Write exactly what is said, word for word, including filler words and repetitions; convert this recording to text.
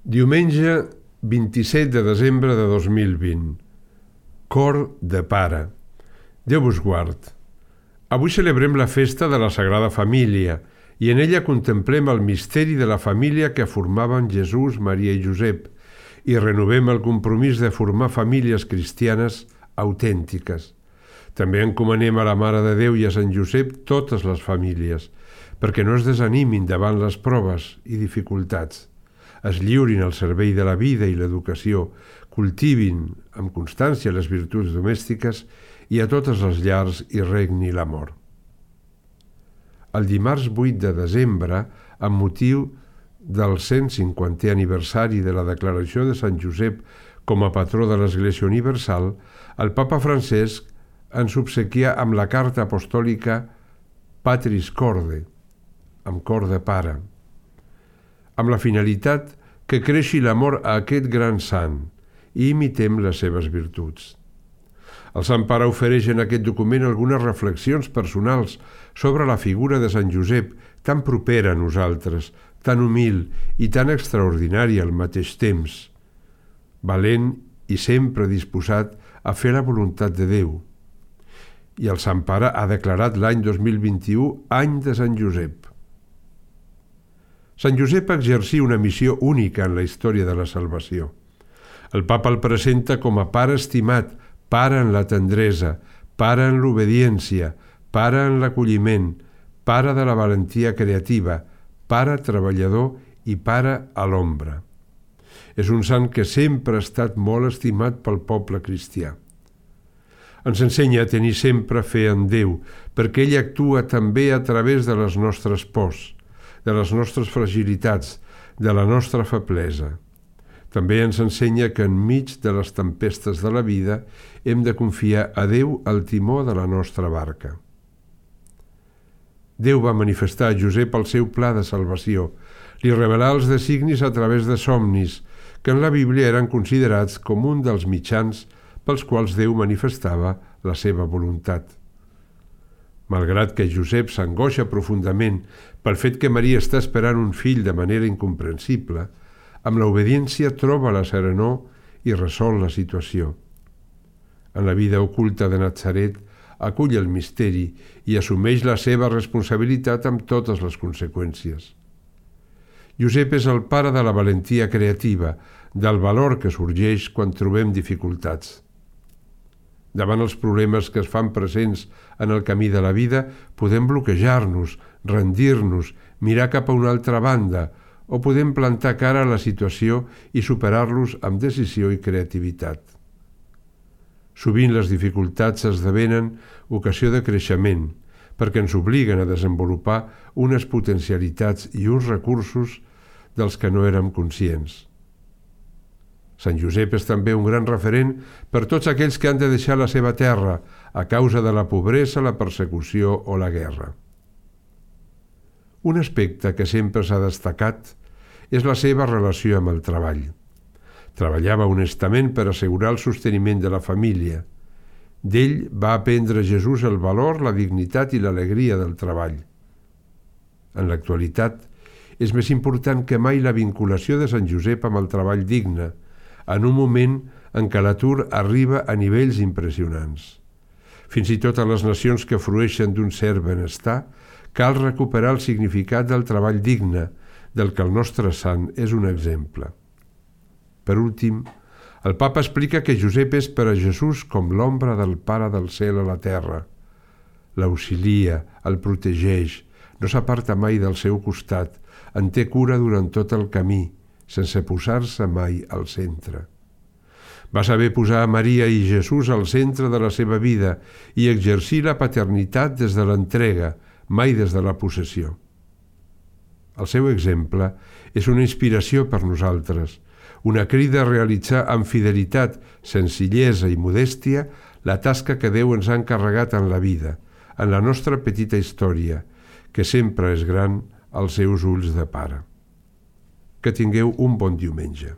Diumenge vint-i-set de desembre de dos mil vint. Cor de Pare. Déu vos guard. Avui celebrem la festa de la Sagrada Família i en ella contemplem el misteri de la família que formaven Jesús, Maria i Josep i renovem el compromís de formar famílies cristianes autèntiques. També encomanem a la Mare de Déu i a Sant Josep totes les famílies, perquè no es desanimin davant les proves i dificultats. Es lliurin al servei de la vida i l'educació, cultivin amb constància les virtuts domèstiques i a totes les llars hi regni l'amor. El dimarts vuit de desembre, amb motiu del cent cinquantè aniversari de la declaració de Sant Josep com a patró de l'Església Universal, el Papa Francesc ens obsequia amb la carta apostòlica Patris Corde, amb cor de pare, amb la finalitat que creixi l'amor a aquest gran sant i imitem les seves virtuts. El Sant Pare ofereix en aquest document algunes reflexions personals sobre la figura de Sant Josep, tan propera a nosaltres, tan humil i tan extraordinària al mateix temps, valent i sempre disposat a fer la voluntat de Déu. I el Sant Pare ha declarat l'any dos mil vint-i-u any de Sant Josep. Sant Josep exercí una missió única en la història de la salvació. El Papa el presenta com a pare estimat, pare en la tendresa, pare en l'obediència, pare en l'acolliment, pare de la valentia creativa, pare treballador i pare a l'ombra. És un sant que sempre ha estat molt estimat pel poble cristià. Ens ensenya a tenir sempre fe en Déu, perquè ell actua també a través de les nostres pors, de les nostres fragilitats, de la nostra feblesa. També ens ensenya que enmig de les tempestes de la vida hem de confiar a Déu al timó de la nostra barca. Déu va manifestar a Josep el seu pla de salvació, li revelà els designis a través de somnis, que en la Bíblia eren considerats com un dels mitjans pels quals Déu manifestava la seva voluntat. Malgrat que Josep s'angoixa profundament pel fet que Maria està esperant un fill de manera incomprensible, amb l'obediència troba la serenor i resol la situació. En la vida oculta de Natzaret acull el misteri i assumeix la seva responsabilitat amb totes les conseqüències. Josep és el pare de la valentia creativa, del valor que sorgeix quan trobem dificultats. Davant els problemes que es fan presents en el camí de la vida, podem bloquejar-nos, rendir-nos, mirar cap a una altra banda, o podem plantar cara a la situació i superar-los amb decisió i creativitat. Sovint les dificultats esdevenen ocasió de creixement, perquè ens obliguen a desenvolupar unes potencialitats i uns recursos dels que no érem conscients. Sant Josep és també un gran referent per tots aquells que han de deixar la seva terra a causa de la pobresa, la persecució o la guerra. Un aspecte que sempre s'ha destacat és la seva relació amb el treball. Treballava honestament per assegurar el sosteniment de la família. D'ell va aprendre Jesús el valor, la dignitat i l'alegria del treball. En l'actualitat, és més important que mai la vinculació de Sant Josep amb el treball digne, en un moment en què l'atur arriba a nivells impressionants. Fins i tot a les nacions que frueixen d'un cert benestar, cal recuperar el significat del treball digne, del que el nostre sant és un exemple. Per últim, el Papa explica que Josep és per a Jesús com l'ombra del Pare del cel a la terra. L'auxilia, el protegeix, no s'aparta mai del seu costat, en té cura durant tot el camí, sense posar-se mai al centre. Va saber posar a Maria i Jesús al centre de la seva vida i exercir la paternitat des de l'entrega, mai des de la possessió. El seu exemple és una inspiració per nosaltres, una crida a realitzar amb fidelitat, senzillesa i modèstia la tasca que Déu ens ha encarregat en la vida, en la nostra petita història, que sempre és gran als seus ulls de pare. Que tingueu un bon diumenge.